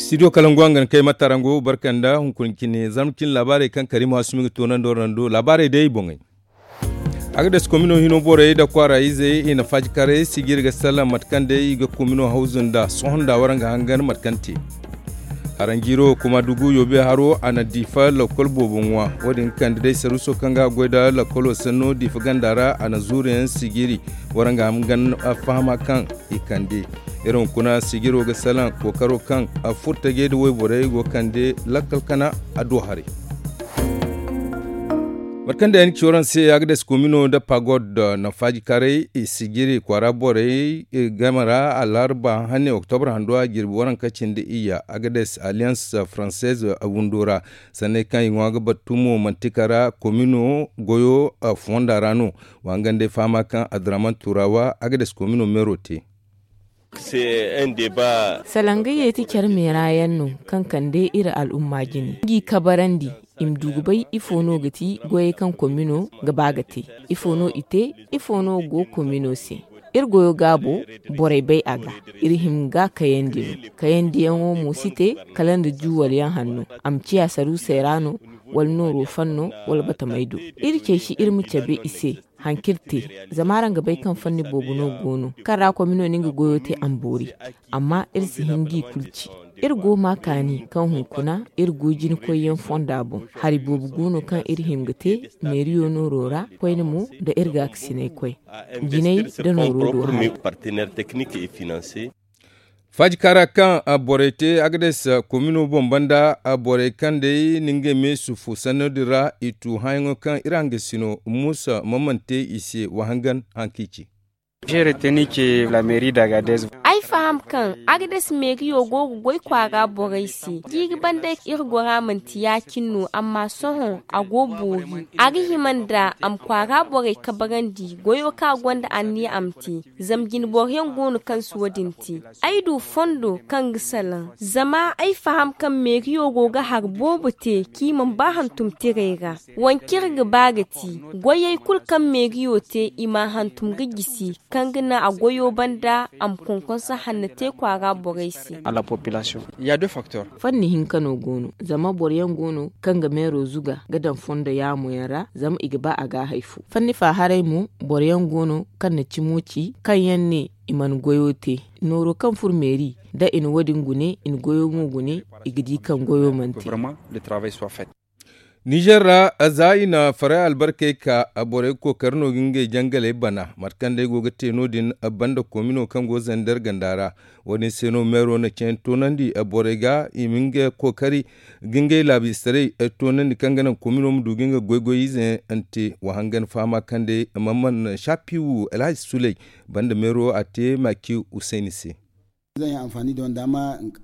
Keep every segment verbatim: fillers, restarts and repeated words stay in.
Studio kalangu hangan kay matarango barkanda hunkuna cine zarma cine laabaarey kaŋ kariima asumi ga toonandi warando laabaarey day boŋey. Agades komino hino borey nda kwaara izey i na faajikaray sijiri ga salaŋ mate kaŋ day i ga komino hawzu nda sohõ nda waraŋ ga hangan mate kaŋ te. Haranjiiro kuma dugu yoobe haro a na diifa lakkol boobo ŋwa. Wo- din kande day saruuso kaŋ ga a goy nda lakkolo sanno diifa ganda ra a na zuuru yaŋ sijiri waraŋ ga hangan fahama kaŋ i kande. Iri hunkuna sijiro ga salaŋ kookaro kaŋ furtajey nda wayborey go ga kande lakkal kana a do haray. Mate kaŋ day a na ci waraŋ se agades komino nda pagod na faajikaray i sijiri kwaara borey game ra alharba hane oktobra hando a jirbi waranka cindi iyya agades alliance française windo ra. Sanney kaŋ i ŋwa ga battu mo mantika ra komino goyo fonda ra no. Wa hangan day fahama kaŋ abdurrahman turawa agades komino meero te. Salaŋ ga yeeti care meera yaŋ no kaŋ kande iri al'umma jine ngi kabarandi i ma du ga bay ifo no ga ti goyey kaŋ komino ga ba ga te. Ifo no i te? Ifo no go komino se? Iri goyo gaabo borey bay a ga. Iri hima ga kayandi no. Kayandiyaŋo mo si te kala nda juwal yaŋ hanno. A ma ciya saruusey ra no wala nooro fanno wala batamey do. Iri cey si iri ma cabe i se. Haŋ kaŋ iri te zama araŋ ga bay kaŋ fanni boobo no go no kaŋ ra komino na nga goyo te a ma boori. Amma iri si hin g'i kulu ci. Iri go ma kaani kaŋ hunkuna iri go jina koyyaŋ fonda boŋ. Hari boobo go no kaŋ iri hima ga te meeriyo nooro ra koyne mo nda iri gaakasinay koy jinay nda nooro do haray. Faajikaara kaŋ borey te agades komino boŋ banda borey kaŋ day na ngey me sufu sanno din ra i tu hããyaŋo kaŋ iri hangasino muusa mamman te i se wa hangan haŋ kaŋ i ci. Ay faham kaŋ agades meeriyo go ga goy kwaara borey se jiiri banda iri gora manti ya-cine no amma sohõ a go boori. A ga hima nda a ma kwaara borey kabarandi goyo kaŋ a gonda anniya a ma te. Zama jinboroyaŋ go no kaŋ si wo- din te. Ay du fondo kaŋ ga salaŋ zama ay faham kaŋ meeriyo go ga hari boobo te kaŋ i mana ba hantum tirey ra. Wanciri ga ba ga ti goyey kulu kaŋ meeriyo te i m'a hantum ga jisi kaŋ ga naŋ a goyo banda a ma konkonso hanno te kwaara borey se. Fanni hinka no go no zama boro yaŋ go no kaŋ ga meero zuga ga daŋ fondo yaamo yaŋ ra zama i ga ba a ga a hay fo. Fanni fa haray mo boro yaŋ go no kaŋ na cimo ci kaŋ yaŋ ne i mana goyo te. Nooro kaŋ furo meeri da i na wo- din gune i na goyo mo gune i ga di kaŋ goyo mana te. Nizer ra za i na faray albarkey ka borey kookari no ga ngey jangaley bana mate kaŋ day go ga te no- din banda komino kaŋ go zander ganda ra. Wo- din se no meero na ceeyaŋ toonandi borey ga i ma nga kookari ga ngey laabiistaray toonandi kaŋ ga naŋ komino ma du ga nga goy-goy ize yaŋ te wa hangan fahama kaŋ day mamman shapiwu alhaji suley banda meero a te maki husayni se.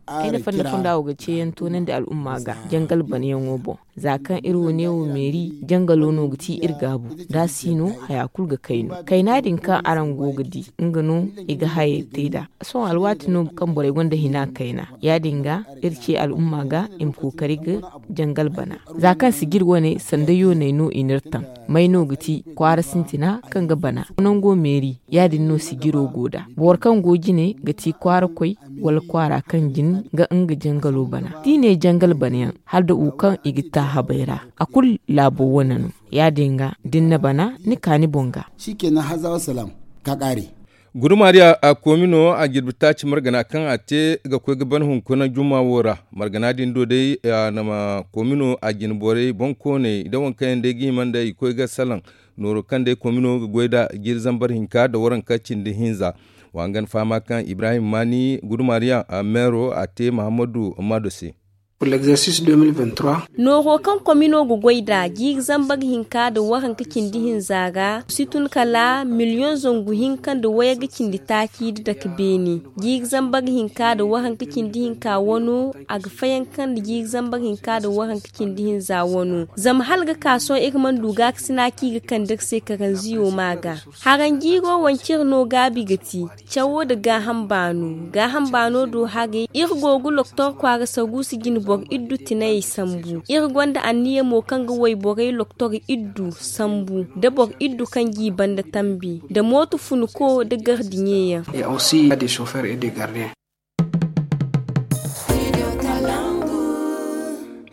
Ay na fanni fonda wo ga ceeyaŋ toonandi al'umma ga jangal banayaŋo boŋ. Za kaŋ iri wo neewo meeri jangalo no ga ti iri gaabu da a si no haya kulu ga kay no kayna din kaŋ araŋ go ga di nga no i ga hayey te nd'a. Sohõ alwaati no kaŋ borey gonda hina kayna ya- din ga iri ce al'umma ga i ma kookari ga jangal bana. Za kaŋ sijir wane sanda yooney no i n'iri taŋ may no ga ti kwaara sintina kaŋ ga bana nango meeri ya- din no sijiro go nd'a boro kaŋ go jine ga ti kwaara koy wala kwaara kaŋ jin ga nga jangalo bana da i ne jangal bana yaŋ hala da wo kaŋ i ga ta habey ra. A kulu laabo wane no ya- din ga da ni na bana ni ka ni boŋ ga. Gudumariya a koomi no a jirbi taaci margana kaŋ a te ga koy ga ban hunkuna juma wo ra. Margana din do day a na ma koomi no a jine borey boŋkooney da waŋ kaŋ yaŋ day ga hima nda i koy ga salaŋ nooro kaŋ day koomi no ga goy nd'a jiiri zambar hinka nda waranka cindi hinza. Wa hangan fahama kaŋ ibrahim maani gudumariya meero a te mahammadu maado se. Nooro kaŋ komino ga goy nd'a jiiri zambar hinka nda waranka cindi hinza ra si tun kala miliyoŋ zangu hinka nda wayga cindi taaci nda dake beene. Jiiri zambar hinka nda waranka cindi hinka wano a ga fayanka nda jiiri zambar hinka nda waranka cindi hinza wano zama hala ga ka sohõ iri mana du gaakasina kaŋ i ga kande iri se karanziyo ma ga. Haranjiiro wanciri no gaabi ga ti. Cawo nda gaaham baano gaaham baano do haray iri go ga loktor kwaara saruusi jine boro iddu tinayey sambu iri gonda anniya mo kaŋ ga wayborey loktor iddu sambu nda boro iddu kaŋ g'i banda tambi nda mooto funuko nda gardiɲeyaŋ.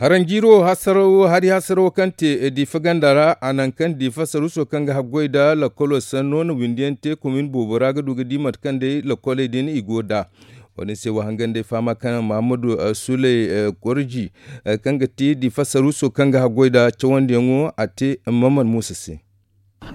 Haranjiiro hasaraw hari hasaraw kaŋ te diifa ganda ra a naŋ kaŋ diifa saruuso kaŋ ga haggoy nda lakkolo sanno na windi yaŋ te komin boobo ra ga du ga di mate kaŋ day lakkoley din i go nd'a. Wo- din se wa hangan day fahama kaŋ mahammadu suley gorji kaŋ ga ti diifa saruuso kaŋ ga haggoy nda cawandiyaŋo a te maman muusa se.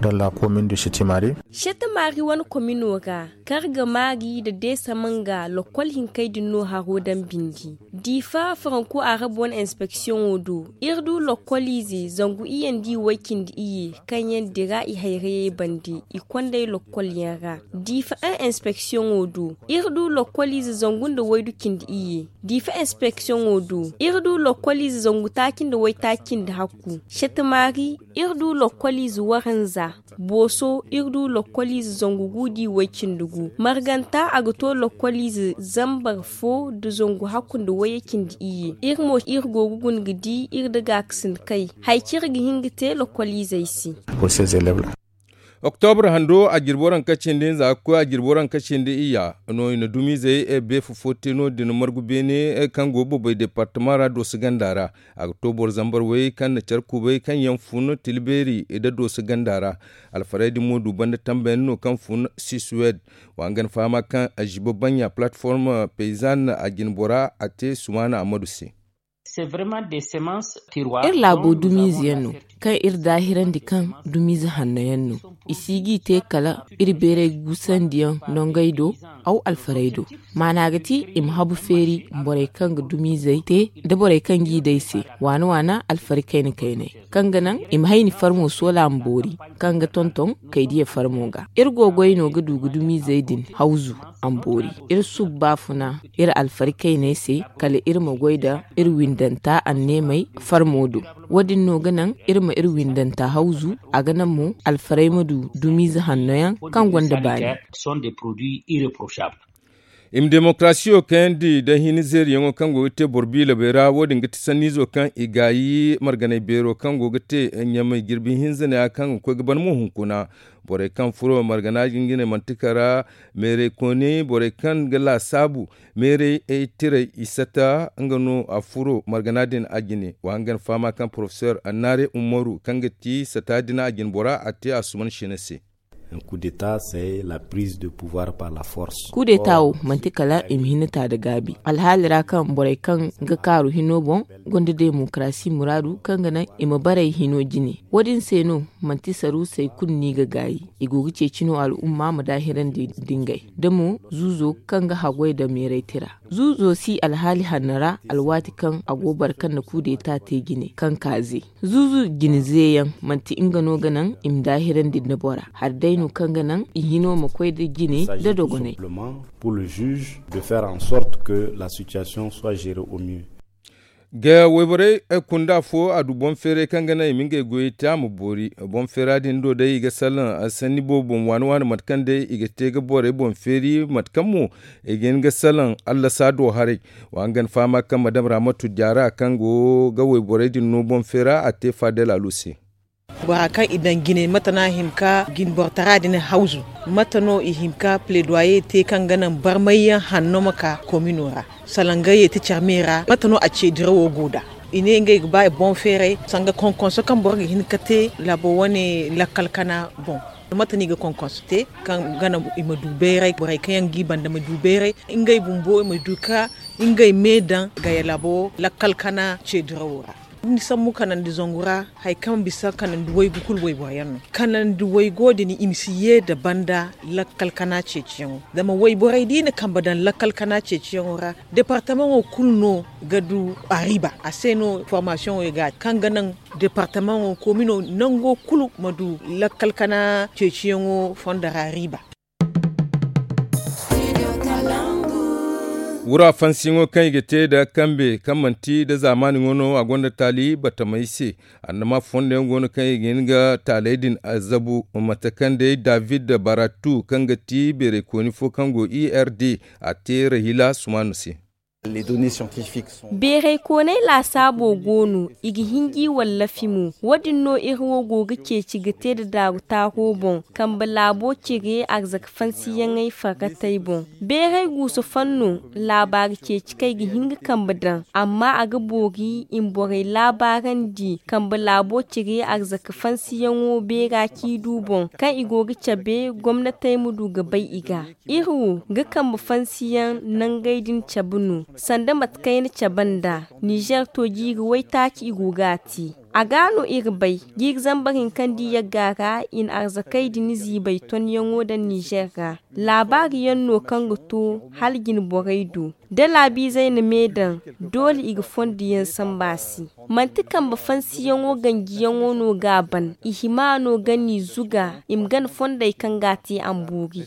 Dalla komin du sitimari. Shetamaari wane komino ra, karga maari nda deesa manga lakkol hinkey din no haro daŋ bindi. Diifa faranko arab wane inspeksiyoŋo do, iri du lakkoliize zangu iyye nda i way cindi iyye kaŋ yaŋ dira i hayrayey bande i kond'ey lakkol yaŋ ra. Diifa en inspeksiyoŋo do, iri du lakkoliize zangu nda waydu cindi iyye. Diifa inspeksiyoŋo do, iri du lakkoliize zangu taaci nda waytaaci nda hakku. Shetamaari, iri du lakkoliize waranza. Booso, iri du lakkoliize zangu gu nda i way cindi gu. Marganta, a ga to lakkoliize zambar fo nda zangu hakku nda wayye cindi iyye. Iri mo iri go ga guna ga di iri nda gaakasin kay hari kaŋ iri ga hin ga te lakkoliizey se. Oktobra hando a jirbi waranka cindi hinza ga koy a jirbi waranka cindi iyya no i na dumiizey beefa fo te no- din margu beene kaŋ go ga babay departama ra dooso ganda ra. A ga to boro zambar way kaŋ na care kubay kaŋ yaŋ fun tilbeeri nda dooso ganda ra. Alfarey din mo du banda tambayandi no kaŋ fun siswed. Wa hangan fahama kaŋ ziba banɲa palatform payzan a jine bora a te sumaana ammadu se. Iri laabo dumiize yaŋ no kaŋ iri daahirandi kaŋ dumiize hanno yaŋ no. I si g'i te kala iri beeray guusandiyaŋ nongey do. Aw alfarey do maana ga ti i ma habu feeri borey kaŋ ga dumiizey te nda borey kaŋ g'i day se waana waana alfari kayna kaynay kaŋ ga naŋ i ma hayni farmo soola ma boori kaŋ ga tonton kaydiya farmo ga. Iri go goy no ga du ga dumiizey din hawzu a ma boori. Iri subba funa iri alfari kayney se kala iri ma goy nda iri windanta anneemey farmo do. Wo- din no ga naŋ iri ma iri windanta hawzu a ga naŋ mo alfarey ma du dumiize hanno yaŋ kaŋ gonda baani. I ma demokarasiyo kayandi nda hini zeeriyaŋo kaŋ go ga te boro biilabey ra wo- din ga ti sanniizo kaŋ i gaayi marganay beero kaŋ go ga te ɲamay jirbi hinza neeya kaŋ ga koy ga ban mo hunkuna. Borey kaŋ furo margana jingine manti kara meerey kooni borey kaŋ ga laasaabu meerey tiray i sata nga no a furo margana din a jine wa hangan fahama kaŋ porofesor annaare umaru kaŋ ga ti sata din a jine bora a te a suman sina se. Kudeta se la prise de pouvoir par la force. Kudeta wo manti kala i ma hinata nda gaabi alhaali ra kaŋ borey kaŋ ga kaaru hino boŋ gonda demokarasi muraadu kaŋ ga naŋ i ma baray hino jine. Wo- din se no manti saruusey kulu no i ga gaayi. I go ga ceeci no al'umma ma daahirandi nda ngey da mo zuuzo kaŋ ga haggoy nda meeray tira. Zuuzo si alhaali hanno ra alwaati kaŋ a go boro kaŋ na kudeta te jine kaŋ kaaze. Zuuzu jine zeeyaŋ manti nga no ga naŋ i ma daahirandi nda bora hari day no kaŋ ga naŋ i hino ma koy nda jine nda dogonay. Pour le juge de faire en sorte que la situation soit gérée au mieux. Ga wayborey kunda fo a du boŋ feeray kaŋ ga naŋ i ma ngey goyey te a ma boori. Boŋ feera din do day i ga salaŋ sanni boobo boŋ waani waani mate kaŋ day i ga te ga borey boŋ feeri mate kaŋ mo i ga hin ga salaŋ allasa do haray. Wa hangan fahama kaŋ madam ramatu jaara kaŋ go ga wayborey din no boŋ feera a te faadel alu se. Bora kaŋ i daŋ jine mate no a hin ka jinbortara din hawzu? Mate no i hin ka pledoyer te kaŋ ga naŋ barmayyaŋ hanno ma ka komino ra? Salaŋ ga ye ti care me ra mate no a ce dirawo go nd'a? I ne ngey ga ba boŋ feeray sanga konkonso kaŋ boro ga hin ka te laabo wane lakkal kana boŋ. Mate no i ga konkonso te kaŋ ga naŋ i ma du bayray borey kaŋ yaŋ g'i banda ma du bayray ngey bumbo i ma du ka ngey me daŋ gaya laabo lakkal kana ce dirawo ra. Ni sambu kanandi zangu ra hari kaŋ bisa kanandi waygu kulu wayboro yaŋ no. Kanandi waygo din i ma si ye nda banda lakkal kana ceeciyaŋo. Zama wayborey da i na kambe daŋ lakkal kana ceeciyaŋo ra departamaŋo kulu no ga du a riiba a se no formasiyoŋo ga kaŋ ga naŋ departamaŋo komino nango kulu ma du lakkal kana ceeciyaŋo fondo ra riiba. Wura fansiyaŋo kaŋ i ga te nda kambe kaŋ manti nda zaamaani ŋwa no a gonda taali batamey se. Annama fondo yaŋ go no kaŋ i ga hin ga taaley din zabu mate kaŋ day david baratu kaŋ ga ti beeraykooni fo kaŋ go erd a te rahila sumaanu se. Beeray koonay laasaabo go no, i ga hin g'i wallafi mo. Wo- din no iri wo go ga ceeci ga te nda daaru taaro boŋ, kambe laabo cire arzaka fansiyaŋey farratey boŋ. Beeray guusu fan no, laabaari ceeci kaŋ i ga hin ga kambe daŋ, amma a ga boori i ma borey laabaarandi kambe laabo cire arzaka fansiyaŋo beera ciidu boŋ, kaŋ i go ga cabe gomnatey ma du ga bay i ga. Iri wo ga kambe fansiyaŋ nangey din cabe no, sanda mate kaŋ ay na cabe nd'a. Nizer to jiiri waytaaci i go ga a te. A ga no iri bay jiiri zambar hinka nda i yagga ra i na arzakey din ziibay tonyaŋo daŋ nizer ra. Laabaari yaŋ no kaŋ ga to hala jine borey do, da laabiizey na me daŋ, doole i ga fondo yaŋ samba a se. Manti kambe fansiyaŋo ganjiyaŋo no ga a ban, i hima no ga n'i zuga i ma gana fondey kaŋ ga a te a ma boori.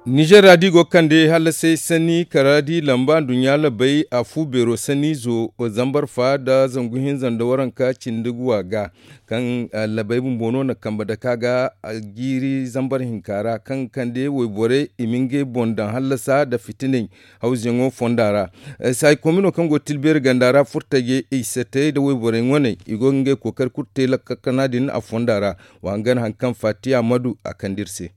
Nizer ra da i go ga kande hallasay sanni kara da i lamba nduɲɲa labay a fu beero sanni zo zambar fa nda zangu hinza nda waranka cindi guwa ga, kaŋ labay bumbo no na kambe dake a ga jiiri zambar hinka ra kaŋ ga kande wayborey i ma ngey boŋ daŋ hallasa nda fitinay hawzuyaŋo fonda ra. Saayi koomino kaŋ go ga tilbeeri ganda ra furtajey i satey nda wayborey ŋwaney i go ga ngey kookari kulu te lakkal kana din a fonda ra. Wa hangan hari kaŋ fatiya madu a kande iri se.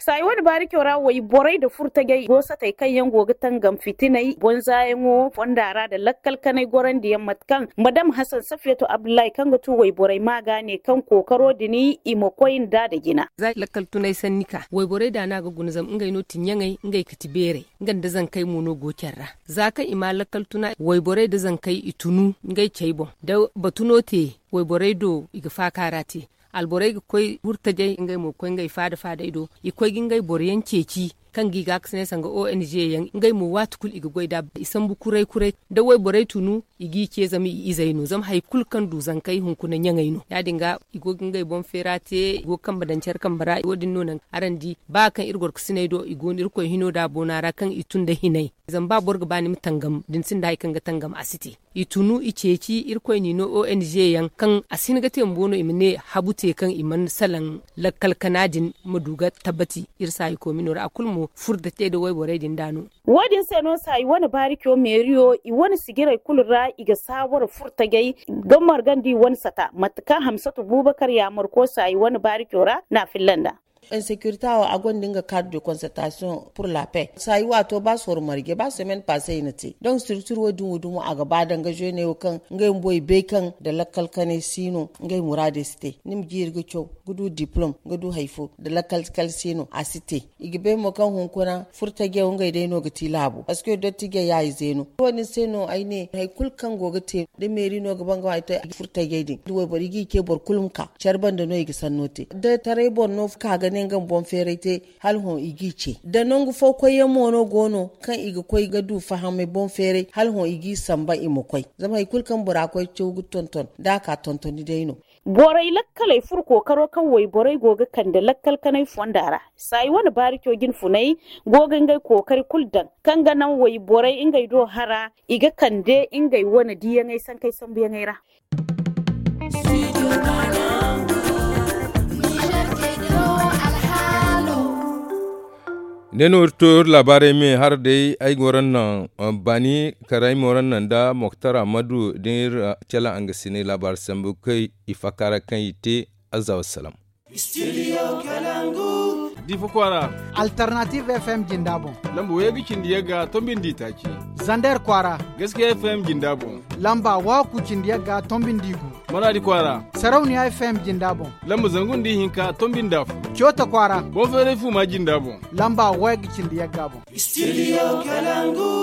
Saayi wane baarico ra wayborey nda furtajey go satey kaŋ yaŋ go ga tangam fitinay bonzayaŋo fonda ra nda lakkal kanay gorandiyaŋ mate kaŋ madam hasan safiyatu abdullahi kaŋ ga tu wayborey ma ga ne kaŋ kookaro din i ma koy nda nda jina. Za lakkal tunay sanni ka wayborey da no a ga guna zama ngey no tinyaŋey ngey ga ti beerey nga nda zankey mo no go care ra. Za kaŋ i ma lakkal tuna wayborey nda zankey i tunu ngey cey boŋ da batu no te wayborey do i ga faaka ra te. Alborey ga koy hurtajey ngey mo ga koy ngey faada faadey do i koy ga ngey boro yaŋ ceeci kaŋ ga i ga a ga si ne sanga ong yaŋ ngey mo waati kulu i ga goy nd'a i sambu kuray kuray. Da wayborey tunu i g'i ce zama i izey no zama hari kulu kaŋ du zankey hunkuna ɲaŋey no ya- din ga i go ga ngey boŋ feera te i go ga kambe daŋ care kambe ra wo- din no naŋ araŋ di ba kaŋ iri goro ga sinay do i go no irkoy hino da boona ra kaŋ i tun nda hinay. Zama ba boro ga ba ni ma tangam da ni sinda hari kaŋ ga tangam a si te. I tunu i ceeci irkoy n'i no ong yaŋ kaŋ a si hin ga te bumbo no i ma ne habu te kaŋ i mana salaŋ lakkal kana din ma du ga tabbati. Iri saayi koomino ra a kulu mo furo da te nda wayborey din da no. Wo- din se no saayi wane baarico meeriyo i wane sijirey kulu ra i ga saawara furtajey ga margandi wane sata mate kaŋ hamsatu buubakar yaamarko saayi wane baarico ra n'a filla nd'a. Insekirita wo a gonda nga kaadu de konsertasiyoŋ pur la pe saayi waato ba soro marje ba semen pase i na te donk structure wo- din wo dumo a ga ba danga zeeney wo kaŋ ngey bumbo i bay kaŋ nda lakkal kanay si no ngey muraadey si te. Ni ma jiiri ga caw ga du diplom ga du hari fo nda lakkal kal si no a si te. I ga bay mo kaŋ hunkuna furtajey wo ngey day no ga ti laabo parceque dottijey ya ize no wo- din se no ay ne hari kulu kaŋ go ga te da meeri no ga ba nga ma ay te furtajey din da wayboro i g'i ce boro kulu ma ka care banda no i ga sanno te da taray boro no ka ga ne nga ma boŋ feeray te. Hala hõ i g'i ce da nangu fo koyyaŋ mo no go no kaŋ i ga koy ga du fahamay boŋ feeray hala hõ i g'i samba i ma koy. Zama hari kulu kaŋ bora koy caw ga tonton da a ka tontoni day no. Borey lakkaley furo kookaro kaŋ wayborey go ga kande lakkal kanay fonda ra. Saayi wane baarico jinfunay go ga ngey kookari kulu daŋ kaŋ ga naŋ wayborey ngey do hara i ga kande ngey wane diyaŋey sankey sambuyaŋey ra. Ne no iri to iri laabaarey me hara day ay ga waraŋ naŋ baani kar ay ma waraŋ naŋ nda moktar ammadu da iri cala nga si ne laabaari sambu kay i fakka ra kaŋ i te. Azza wassalam. Difa kwaara. Alternative fm jinda boŋ. Lamba wayey ga cindi yagga tombindi taaci. Zander kwaara. Gaskiya fm jinda boŋ. Lamba waku cindi yagga tombindi gu. Maradi kwaara. Sarauniya fm jinda boŋ. Lamba zangu nda ihinka tombindi afo. Cota kwaara. Boŋ feeray fuma jinda boŋ. Lamba wayey ga cindi yagga boŋ. Studio kalangu.